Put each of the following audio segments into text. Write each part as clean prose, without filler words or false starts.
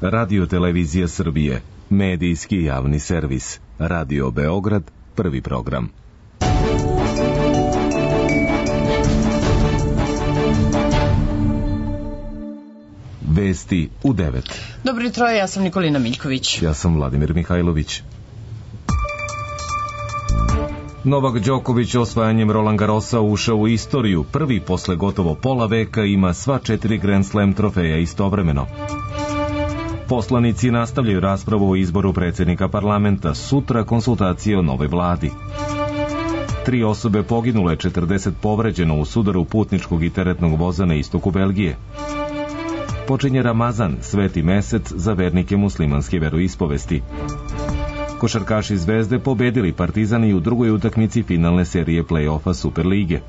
Radio-televizija Srbije, medijski javni servis, Radio Beograd, prvi program. Vesti u 9. Dobro jutro, ja sam Nikolina Miljković. Ja sam Vladimir Mihajlović. Novak Đoković osvajanjem Roland Garrosa ušao u istoriju. Prvi posle gotovo pola veka ima sva 4 Grand Slam trofeja istovremeno. Poslanici nastavljaju raspravu o izboru predsjednika parlamenta. Sutra konsultacije o novoj vladi. 3 osobe poginule, 40 povređeno u sudaru putničkog i teretnog voza na istoku Belgije. Počinje Ramazan, sveti mesec za vernike muslimanske veroispovesti. Košarkaši Zvezde pobedili Partizan i u drugoj utakmici finalne serije play-offa Superlige.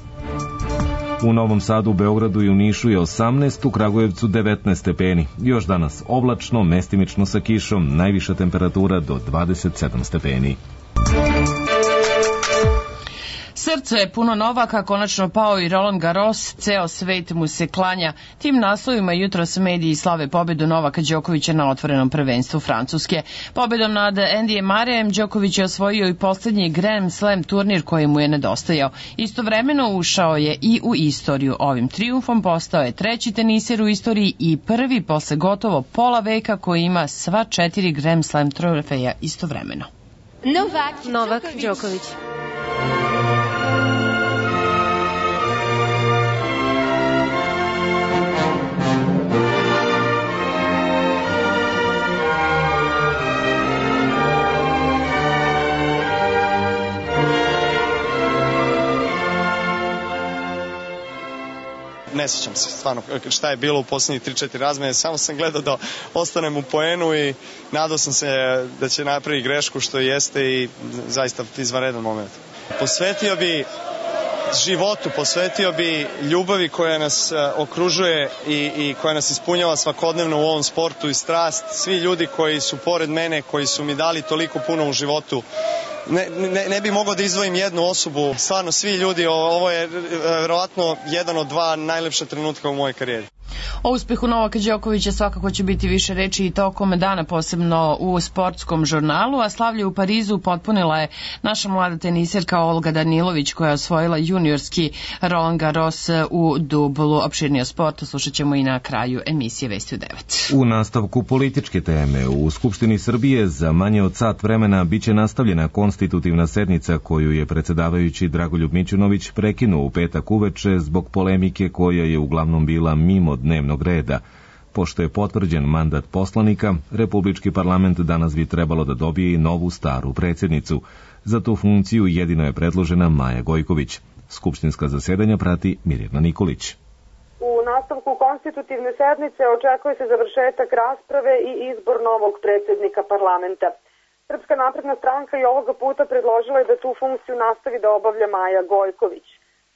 U Novom Sadu, Beogradu i u Nišu je 18, u Kragujevcu 19 stepeni. Još danas oblačno, mestimično sa kišom, najviša temperatura do 27 stepeni. Srce je puno Novaka, konačno pao i Roland Garros, ceo svet mu se klanja. Tim naslovima jutros mediji slave pobedu Novaka Đokovića na otvorenom prvenstvu Francuske. Pobedom nad Andyjem Murrayem Đoković je osvojio i poslednji Grand Slam turnir koji mu je nedostajao. Istovremeno ušao je i u istoriju. Ovim trijumfom postao je 3. teniser u istoriji i prvi posle gotovo pola veka koji ima sva 4 Grand Slam trofeja istovremeno. Novak Đoković. Ne sjećam se stvarno šta je bilo u posljednjih 3-4 razmene, samo sam gledao da ostanem u poenu i nadao sam se da će napraviti grešku što jeste i zaista izvanredan moment. Posvetio bi životu, posvetio bi ljubavi koja nas okružuje i koja nas ispunjava svakodnevno u ovom sportu i strast. Svi ljudi koji su pored mene, koji su mi dali toliko puno u životu. Ne bi mogao da izdvojim jednu osobu, stvarno svi ljudi, ovo je verovatno jedan od 2 najlepša trenutka u mojoj karijeri. O uspehu Novaka Đokovića svakako će biti više reči i tokom dana, posebno u sportskom žurnalu, a slavlje u Parizu potpunila je naša mlada teniserka Olga Danilović koja je osvojila juniorski Roland Garros u dublu. Opširnije o sportu slušat ćemo i na kraju emisije Vesti u 9. U nastavku političke teme u Skupštini Srbije za manje od sat vremena biće nastavljena konstitutivna sednica koju je predsedavajući Dragoljub Mićunović prekinuo u petak uveče zbog polemike koja je uglavnom bila mimo dnevnog reda. Pošto je potvrđen mandat poslanika, Republički parlament danas bi trebalo da dobije i novu staru predsjednicu. Za tu funkciju jedino je predložena Maja Gojković. Skupštinska zasedanja prati Mirjana Nikolić. U nastavku konstitutivne sednice očekuje se završetak rasprave i izbor novog predsjednika parlamenta. Srpska napredna stranka i ovoga puta predložila je da tu funkciju nastavi da obavlja Maja Gojković.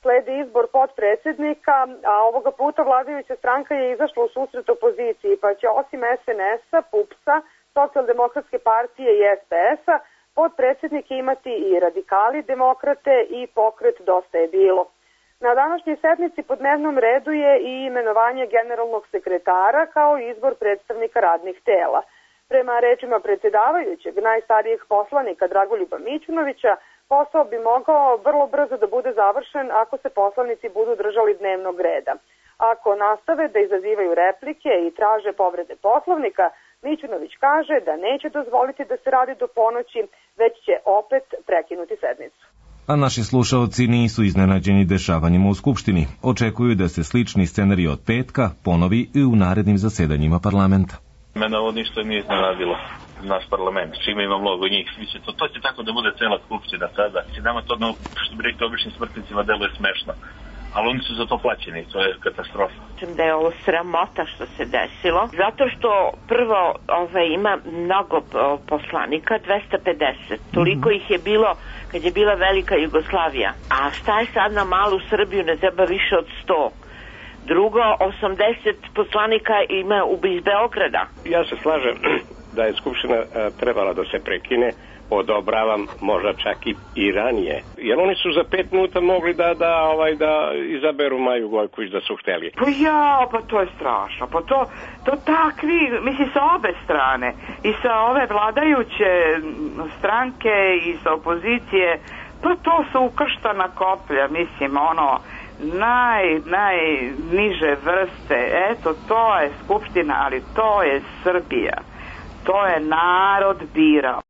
Sledi izbor potpredsjednika, a ovoga puta vladajuća stranka je izašla u susret opoziciji, pa će osim SNS-a, PUPS-a, Socijaldemokratske partije i SPS-a, potpredsjednike imati i radikali, demokrate i pokret Dosta je bilo. Na današnjoj sednici po dnevnom redu je i imenovanje generalnog sekretara kao izbor predstavnika radnih tela. Prema rečima predsjedavajućeg, najstarijeg poslanika Dragoljuba Mićunovića, posao bi mogao vrlo brzo da bude završen ako se poslanici budu držali dnevnog reda. Ako nastave da izazivaju replike i traže povrede poslovnika, Mićunović kaže da neće dozvoliti da se radi do ponoći, već će opet prekinuti sednicu. A naši slušaoci nisu iznenađeni dešavanjima u Skupštini. Očekuju da se slični scenarij od petka ponovi i u narednim zasedanjima parlamenta. Mene ovo ništa nije iznenadilo, naš parlament, čime ima mnogo njih. To će tako da bude cela skupština sada. Nama to, što bi rekli običnim smrtnicima, deluje smešno. Ali oni su za to plaćeni, to je katastrofa. Da je ovo sramota što se desilo, zato što prvo ima mnogo poslanika, 250. Toliko ih je bilo kad je bila Velika Jugoslavija. A šta je sad na malu Srbiju, ne treba više od 100. Drugo, 80 poslanika ima iz Beograda. Ja se slažem da je Skupština trebala da se prekine, odobravam možda čak i ranije. Jer oni su za 5 minuta mogli da izaberu Maju Gojković da su hteli. Pa to je strašno. Pa to takvi, mislim, sa obe strane. I sa ove vladajuće stranke i sa opozicije, pa to su ukrštana koplja, mislim, najniže vrste. Eto, to je Skupština, ali to je Srbija. To je narod birao.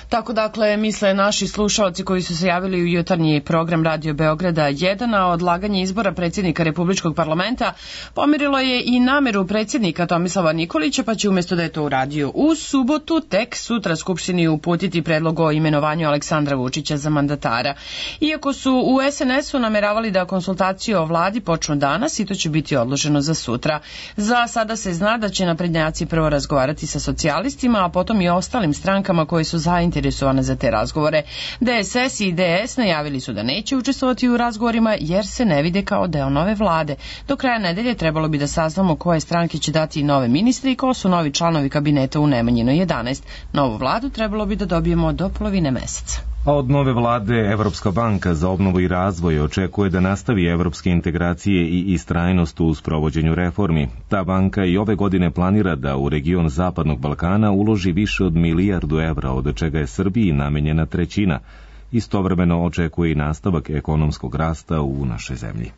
Tako dakle misle naši slušalci koji su se javili u jutarnji program Radio Beograda 1, a odlaganje izbora predsjednika Republičkog parlamenta pomirilo je i nameru predsjednika Tomislava Nikolića, pa će umjesto da je to uradio u subotu, tek sutra Skupštini uputiti predlog o imenovanju Aleksandra Vučića za mandatara. Iako su u SNS-u nameravali da konsultacije o vladi počnu danas i to će biti odloženo za sutra. Za sada se zna da će naprednjaci prvo razgovarati sa socijalistima, a potom i ostalim strankama koje su zainteresovane za te razgovore. DSS i DS najavili su da neće učestvovati u razgovorima jer se ne vide kao deo nove vlade. Do kraja nedelje trebalo bi da saznamo koje stranke će dati nove ministre i ko su novi članovi kabineta u Nemanjinoj 11. Novu vladu trebalo bi da dobijemo do polovine meseca. A od nove vlade Evropska banka za obnovu i razvoj očekuje da nastavi evropske integracije i istrajnost u sprovođenju reformi. Ta banka i ove godine planira da u region Zapadnog Balkana uloži više od 1 milijardu evra, od čega je Srbiji namenjena 1/3. Istovremeno očekuje i nastavak ekonomskog rasta u našoj zemlji.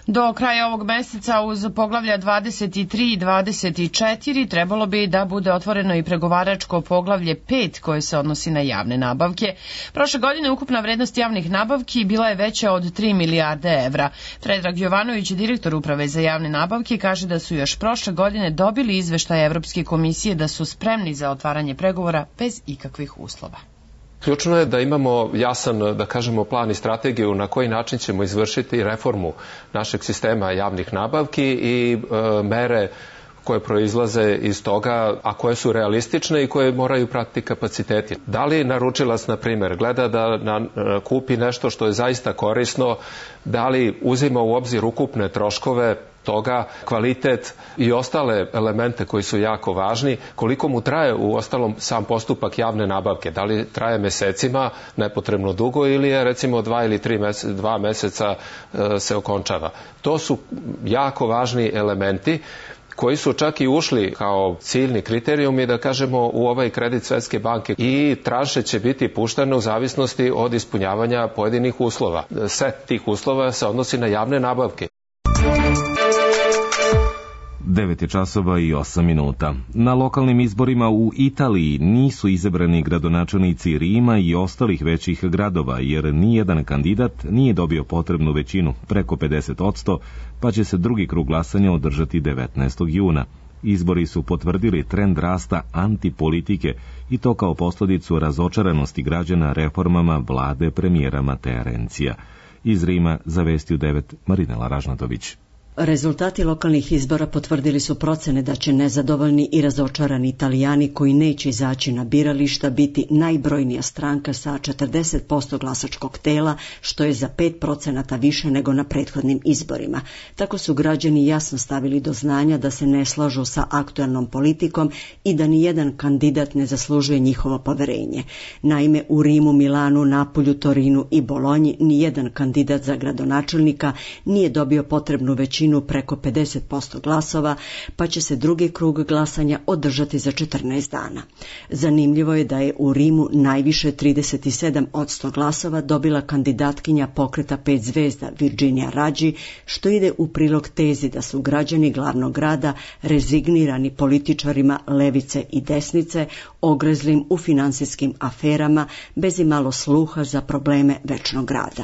Do kraja ovog meseca uz poglavlja 23 i 24 trebalo bi da bude otvoreno i pregovaračko poglavlje 5 koje se odnosi na javne nabavke. Prošle godine ukupna vrednost javnih nabavki bila je veća od 3 milijarde evra. Predrag Jovanović, direktor Uprave za javne nabavke, kaže da su još prošle godine dobili izveštaj Evropske komisije da su spremni za otvaranje pregovora bez ikakvih uslova. Ključno je da imamo jasan, da kažemo, plan i strategiju na koji način ćemo izvršiti reformu našeg sistema javnih nabavki i mere koje proizlaze iz toga, a koje su realistične i koje moraju pratiti kapaciteti. Da li naručilac, na primjer, gleda da kupi nešto što je zaista korisno, da li uzima u obzir ukupne troškove toga, kvalitet i ostale elemente koji su jako važni, koliko mu traje u ostalom sam postupak javne nabavke, da li traje mesecima, nepotrebno dugo, ili je recimo 2 ili 2 meseca se okončava. To su jako važni elementi koji su čak i ušli kao ciljni kriterijumi, da kažemo, u ovaj kredit Svetske banke, i tranše će biti puštene u zavisnosti od ispunjavanja pojedinih uslova. Set tih uslova se odnosi na javne nabavke. 9:08. Na lokalnim izborima u Italiji nisu izabrani gradonačelnici Rima i ostalih većih gradova, jer nijedan kandidat nije dobio potrebnu većinu, preko 50%, pa će se drugi krug glasanja održati 19. juna. Izbori su potvrdili trend rasta antipolitike i to kao posljedicu razočaranosti građana reformama vlade premijera Matea Renzija. Iz Rima za Vesti u 9 Marinela Ražnatović. Rezultati lokalnih izbora potvrdili su procene da će nezadovoljni i razočarani Italijani koji neće izaći na birališta biti najbrojnija stranka sa 40% glasačkog tela, što je za 5% više nego na prethodnim izborima. Tako su građani jasno stavili do znanja da se ne slažu sa aktualnom politikom i da nijedan kandidat ne zaslužuje njihovo poverenje. Naime, u Rimu, Milanu, Napolju, Torinu i Bolonji nijedan kandidat za gradonačelnika nije dobio potrebnu većinu preko 50% glasova, pa će se drugi krug glasanja održati za 14 dana. Zanimljivo je da je u Rimu najviše 37% glasova dobila kandidatkinja pokreta 5 zvezda Virginia Raggi, što ide u prilog tezi da su građani glavnog grada rezignirani političarima levice i desnice, ogrezlim u finansijskim aferama, bez imalo sluha za probleme večnog grada.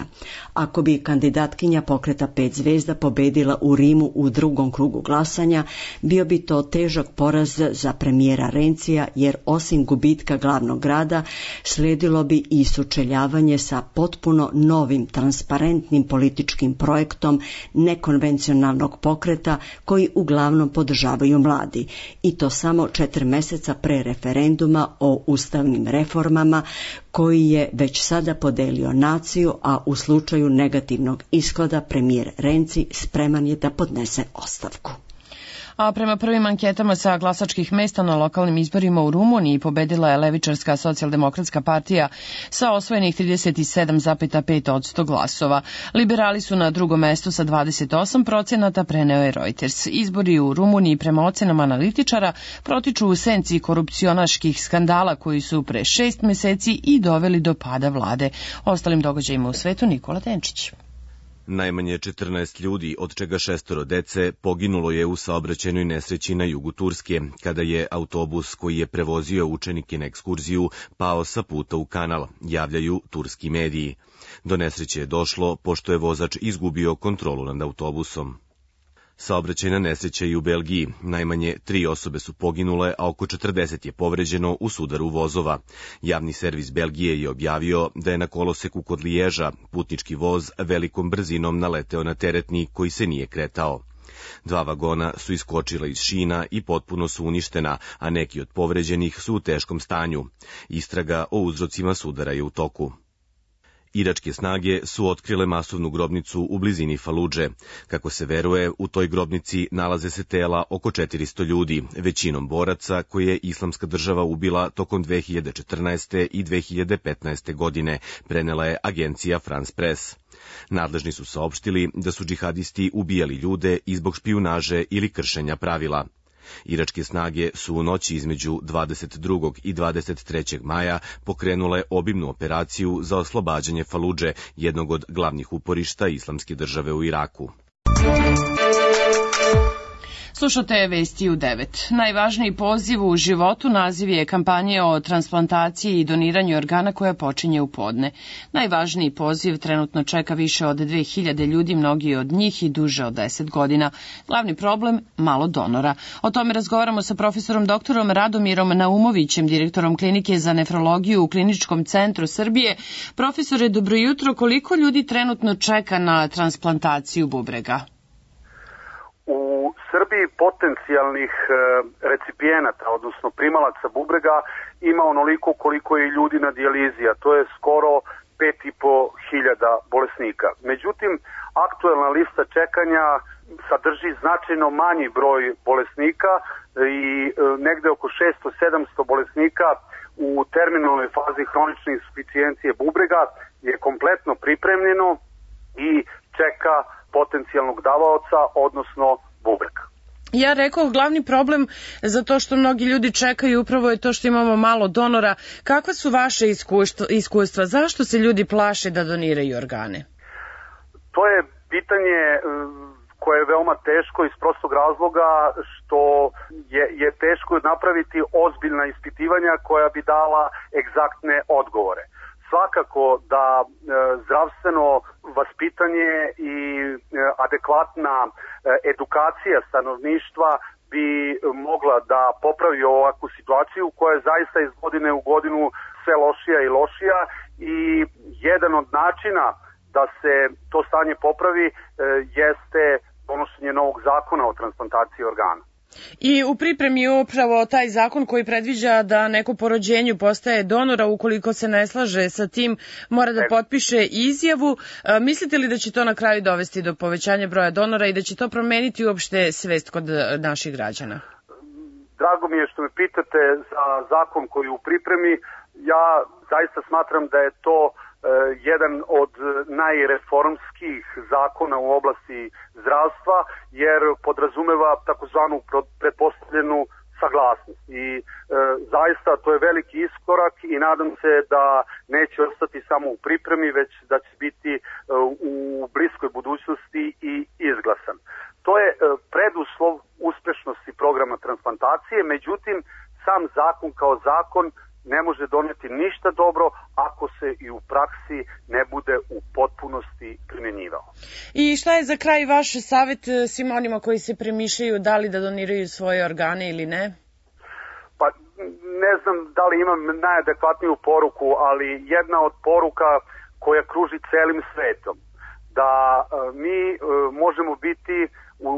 Ako bi kandidatkinja pokreta 5 zvezda pobedila u Rimu u drugom krugu glasanja, bio bi to težak poraz za premijera Renzija, jer osim gubitka glavnog grada slijedilo bi i sučeljavanje sa potpuno novim transparentnim političkim projektom nekonvencionalnog pokreta koji uglavnom podržavaju mladi, i to samo 4 mjeseca pre referenduma o ustavnim reformama koji je već sada podelio naciju, a u slučaju negativnog ishoda premijer Renzi spreman je da podnese ostavku. A prema prvim anketama sa glasačkih mesta na lokalnim izborima u Rumuniji pobedila je levičarska socijaldemokratska partija sa osvojenih 37,5% glasova. Liberali su na drugom mestu sa 28%, preneo je Reuters. Izbori u Rumuniji prema ocenama analitičara protiču u senci korupcionaških skandala koji su pre 6 meseci i doveli do pada vlade. Ostalim događajima u svetu Nikola Denčić. Najmanje 14 ljudi, od čega 6 dece, poginulo je u saobraćajnoj nesreći na jugu Turske, kada je autobus koji je prevozio učenike na ekskurziju pao sa puta u kanal, javljaju turski mediji. Do nesreće je došlo pošto je vozač izgubio kontrolu nad autobusom. Saobraćajna nesreća i u Belgiji. Najmanje 3 osobe su poginule, a oko 40 je povređeno u sudaru vozova. Javni servis Belgije je objavio da je na koloseku kod Liježa putnički voz velikom brzinom naleteo na teretni koji se nije kretao. 2 vagona su iskočila iz šina i potpuno su uništena, a neki od povređenih su u teškom stanju. Istraga o uzrocima sudara je u toku. Iračke snage su otkrile masovnu grobnicu u blizini Faludže. Kako se veruje, u toj grobnici nalaze se tela oko 400 ljudi, većinom boraca koje je Islamska država ubila tokom 2014. i 2015. godine, prenela je agencija France Press. Nadležni su saopštili da su džihadisti ubijali ljude i zbog špijunaže ili kršenja pravila. Iračke snage su u noći između 22. i 23. maja pokrenule obimnu operaciju za oslobađanje Faludže, jednog od glavnih uporišta Islamske države u Iraku. Slušate vesti u 9. Najvažniji poziv u životu naziv je kampanje o transplantaciji i doniranju organa koja počinje u podne. Najvažniji poziv trenutno čeka više od 2000 ljudi, mnogi od njih i duže od 10 godina. Glavni problem – malo donora. O tome razgovaramo sa profesorom doktorom Radomirom Naumovićem, direktorom klinike za nefrologiju u Kliničkom centru Srbije. Profesore, dobro jutro. Koliko ljudi trenutno čeka na transplantaciju bubrega? U Srbiji potencijalnih recipijenata, odnosno primalaca bubrega, ima onoliko koliko je ljudi na dijalizi, a to je skoro 5.500 bolesnika. Međutim, aktuelna lista čekanja sadrži značajno manji broj bolesnika i negde oko 600-700 bolesnika u terminalnoj fazi hronične insuficijencije bubrega je kompletno pripremljeno i čeka potencijalnog davaoca, odnosno bubreg. Ja rekao, glavni problem za to što mnogi ljudi čekaju upravo je to što imamo malo donora. Kakva su vaše iskustva? Zašto se ljudi plaše da doniraju organe? To je pitanje koje je veoma teško iz prostog razloga što je teško napraviti ozbiljna ispitivanja koja bi dala egzaktne odgovore. Svakako da zdravstveno vaspitanje i adekvatna edukacija stanovništva bi mogla da popravi ovakvu situaciju koja je zaista iz godine u godinu sve lošija i lošija i jedan od načina da se to stanje popravi jeste donošenje novog zakona o transplantaciji organa. I u pripremi je upravo taj zakon koji predviđa da neko po rođenju postaje donora, ukoliko se ne slaže sa tim mora da potpiše izjavu. Mislite li da će to na kraju dovesti do povećanja broja donora i da će to promeniti uopšte svest kod naših građana? Drago mi je što me pitate za zakon koji je u pripremi. Ja zaista smatram da je to jedan od najreformskih zakona u oblasti zdravstva, jer podrazumeva takozvanu pretpostavljenu saglasnost. I zaista to je veliki iskorak i nadam se da neće ostati samo u pripremi, već da će biti u bliskoj budućnosti i izglasan. To je preduslov uspešnosti programa transplantacije, međutim sam zakon kao zakon ne može doneti ništa dobro ako se i u praksi ne bude u potpunosti primjenjivao. I šta je za kraj vaš savjet svim onima koji se premišljaju da li da doniraju svoje organe ili ne? Pa ne znam da li imam najadekvatniju poruku, ali jedna od poruka koja kruži celim svetom, da mi možemo biti u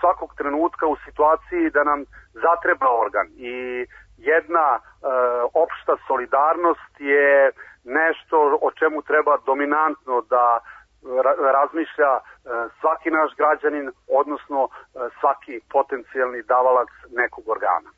svakog trenutka u situaciji da nam zatreba organ i jedna opšta solidarnost je nešto o čemu treba dominantno da razmišlja svaki naš građanin, odnosno svaki potencijalni davalac nekog organa.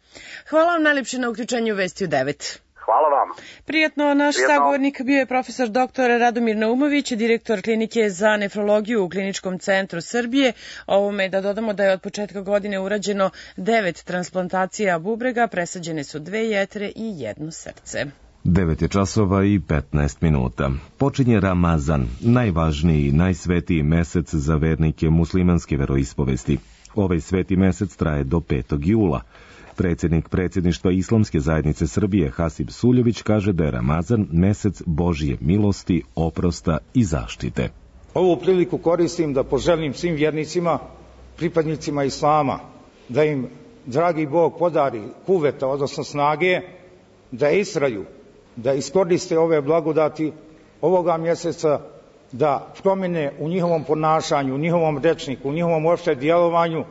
Hvala vam najlepše na uključenju Vesti u 9. Hvala vama. Prijatno, naš sagovornik bio je profesor dr. Radomir Naumović, direktor klinike za nefrologiju u Kliničkom centru Srbije. Ovome da dodamo da je od početka godine urađeno 9 transplantacija bubrega, presađene su 2 jetre i 1 srce. 9 je časova i 15 minuta. Počinje Ramazan, najvažniji i najsvetiji mesec za vernike muslimanske veroispovesti. Ovaj sveti mesec traje do 5. jula. Predsjednik predsjedništva Islamske zajednice Srbije Hasib Suljović kaže da je Ramazan mesec Božje milosti, oprosta i zaštite. Ovu priliku koristim da poželim svim vjernicima, pripadnicima Islama, da im dragi Bog podari kuveta, odnosno snage, da istraju, da iskoriste ove blagodati ovoga mjeseca, da promjene u njihovom ponašanju, u njihovom rečniku, u njihovom uopšte djelovanju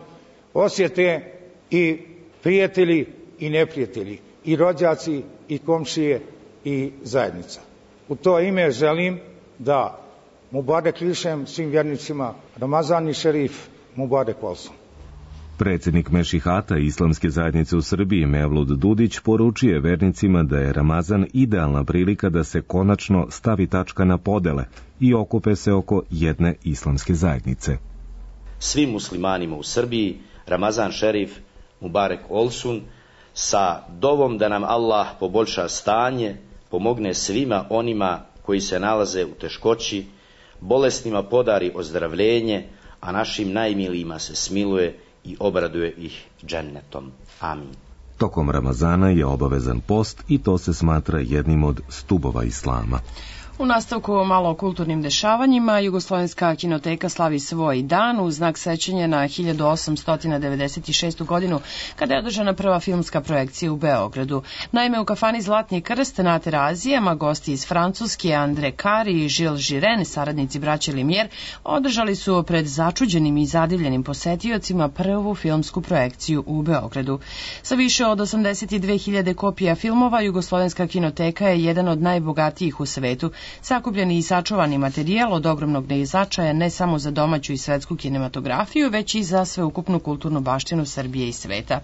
osjete i prijatelji i neprijatelji, i rođaci i komšije i zajednica. U to ime želim da Mubarek lišem svim vjernicima Ramazan i Šerif Mubarek Olson. Predsjednik Mešihata Islamske zajednice u Srbiji Mevlud Dudić poručuje vernicima da je Ramazan idealna prilika da se konačno stavi tačka na podele i okupe se oko jedne islamske zajednice. Svim muslimanima u Srbiji Ramazan Šerif Mubarek Olsun sa dovom da nam Allah poboljša stanje, pomogne svima onima koji se nalaze u teškoći, bolesnima podari ozdravljenje, a našim najmilijima se smiluje i obraduje ih džennetom. Amin. Tokom Ramazana je obavezan post i to se smatra jednim od stubova islama. U nastavku malo o kulturnim dešavanjima, Jugoslovenska kinoteka slavi svoj dan u znak sećanja na 1896. godinu, kada je održana prva filmska projekcija u Beogradu. Naime, u kafani Zlatni krst na Terazijama gosti iz Francuske Andre Kari i Žil Žiren, saradnici braće Limijer, održali su pred začuđenim i zadivljenim posetiocima prvu filmsku projekciju u Beogradu. Sa više od 82.000 kopija filmova, Jugoslovenska kinoteka je jedan od najbogatijih u svetu. Sakupljeni i sačuvani materijal od ogromnog značaja ne samo za domaću i svetsku kinematografiju, već i za sveukupnu kulturnu baštinu Srbije i sveta.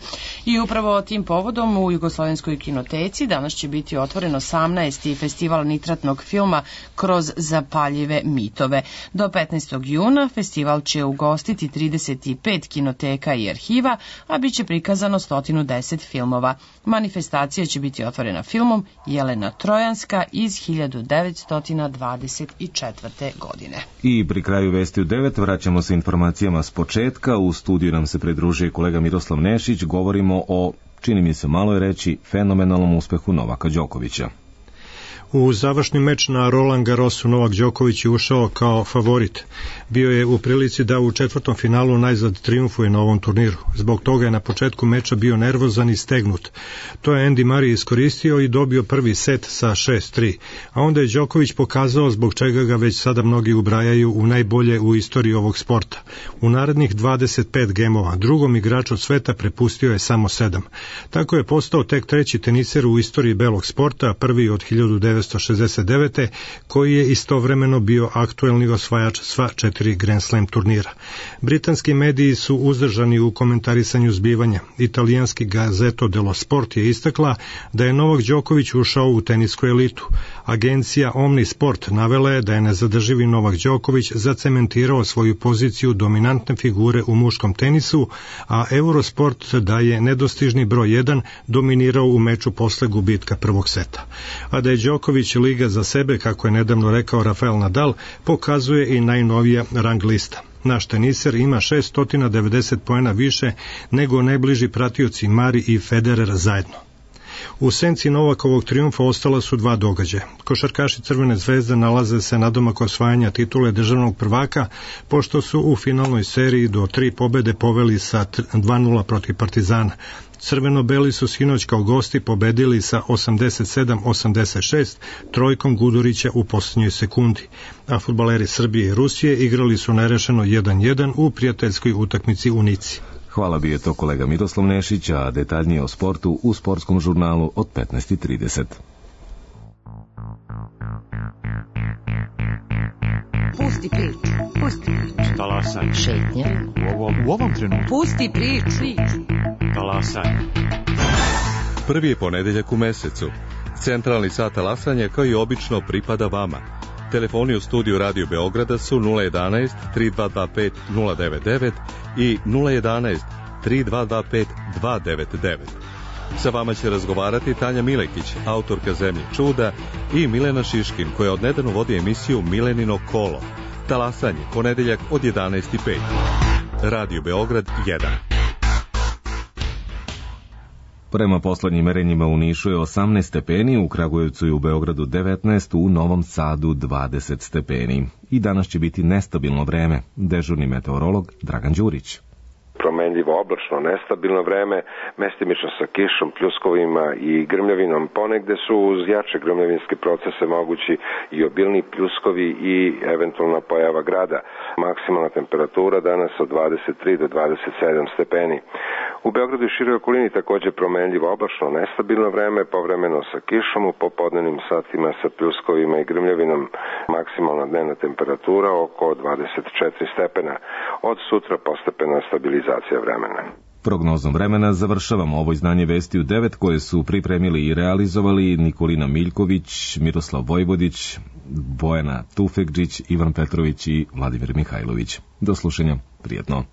I upravo tim povodom u Jugoslovenskoj kinoteci danas će biti otvoren 18. festival nitratnog filma Kroz zapaljive mitove. Do 15. juna festival će ugostiti 35 kinoteka i arhiva, a bit će prikazano 110 filmova. Manifestacija će biti otvorena filmom Jelena Trojanska iz 1924. godine. I pri kraju Vesti u 9 vraćamo se informacijama s početka. U studiju nam se pridružuje kolega Miroslav Nešić. Govorimo o, čini mi se malo je reći, fenomenalnom uspehu Novaka Đokovića. U završni meč na Roland Garrosu Novak Đoković je ušao kao favorit. Bio je u prilici da u četvrtom finalu najzad trijumfuje na ovom turniru. Zbog toga je na početku meča bio nervozan i stegnut. To je Andy Murray iskoristio i dobio prvi set sa 6-3. A onda je Đoković pokazao zbog čega ga već sada mnogi ubrajaju u najbolje u istoriji ovog sporta. U narednih 25 gemova drugom igraču od sveta prepustio je samo 7. Tako je postao tek treći teniser u istoriji belog sporta, prvi od 1969. koji je istovremeno bio aktuelni osvajač sva 4 Grand Slam turnira. Britanski mediji su uzdržani u komentarisanju zbivanja. Italijanski Gazzetta dello Sport je istakla da je Novak Đoković ušao u tenisku elitu. Agencija Omnisport navela je da je nezadrživi Novak Đoković zacementirao svoju poziciju dominantne figure u muškom tenisu, a Eurosport da je nedostižni broj 1 dominirao u meču posle gubitka prvog seta. A da je Đoković liga za sebe, kako je nedavno rekao Rafael Nadal, pokazuje i najnovija rang lista. Naš teniser ima 690 poena više nego najbliži pratioci Mari i Federer zajedno. U senci Novakovog trijumfa ostala su 2 događaja. Košarkaši Crvene zvezde nalaze se nadomak osvajanja titule državnog prvaka, pošto su u finalnoj seriji do 3 pobede poveli sa 2-0 protiv Partizana. Crveno-beli su sinoć kao gosti pobedili sa 87-86 trojkom Gudurića u posljednjoj sekundi, a fudbaleri Srbije i Rusije igrali su nerešeno 1-1 u prijateljskoj utakmici u Nici. Hvala, bio je to kolega Miroslav Nešić, a detaljnije o sportu u sportskom žurnalu od 15:30. Pusti priču. Pusti priču. Talasaj. Šetnja. U ovom trenutku. Pusti priču. Talasaj. Prvi je ponedeljak u mesecu. Centralni sat talasanja kao i obično pripada vama. Telefoni u studiju Radio Beograda su 011 3225 099 i 011 3225 299. Sa vama će razgovarati Tanja Milekić, autorka Zemlje čuda, i Milena Šiškin, koja odnedavno vodi emisiju Milenino kolo. Talasanje, ponedeljak od 11:05. Radio Beograd 1. Prema poslednjim merenjima u Nišu je 18 stepeni, u Kragujevcu i u Beogradu 19, u Novom Sadu 20 stepeni. I danas će biti nestabilno vreme. Dežurni meteorolog Dragan Đurić. Promenljivo oblačno, nestabilno vreme, mestimično sa kišom, pljuskovima i grmljavinom. Ponegde su uz jače grmljavinske procese mogući i obilni pljuskovi i eventualna pojava grada. Maksimalna temperatura danas od 23 do 27 stepeni. U Beogradu i široj okolini takođe promenljivo oblačno, nestabilno vreme, povremeno sa kišom, u popodnevnim satima sa pljuskovima i grmljavinom. Maksimalna dnevna temperatura oko 24 stepena. Od sutra postepena stabilizacija vremena. Prognozom vremena završavamo ovo izdanje Vesti u 9 koje su pripremili i realizovali Nikolina Miljković, Miroslav Vojvodić, Bojana Tufekđić, Ivan Petrović i Vladimir Mihajlović. Do slušanja, prijetno.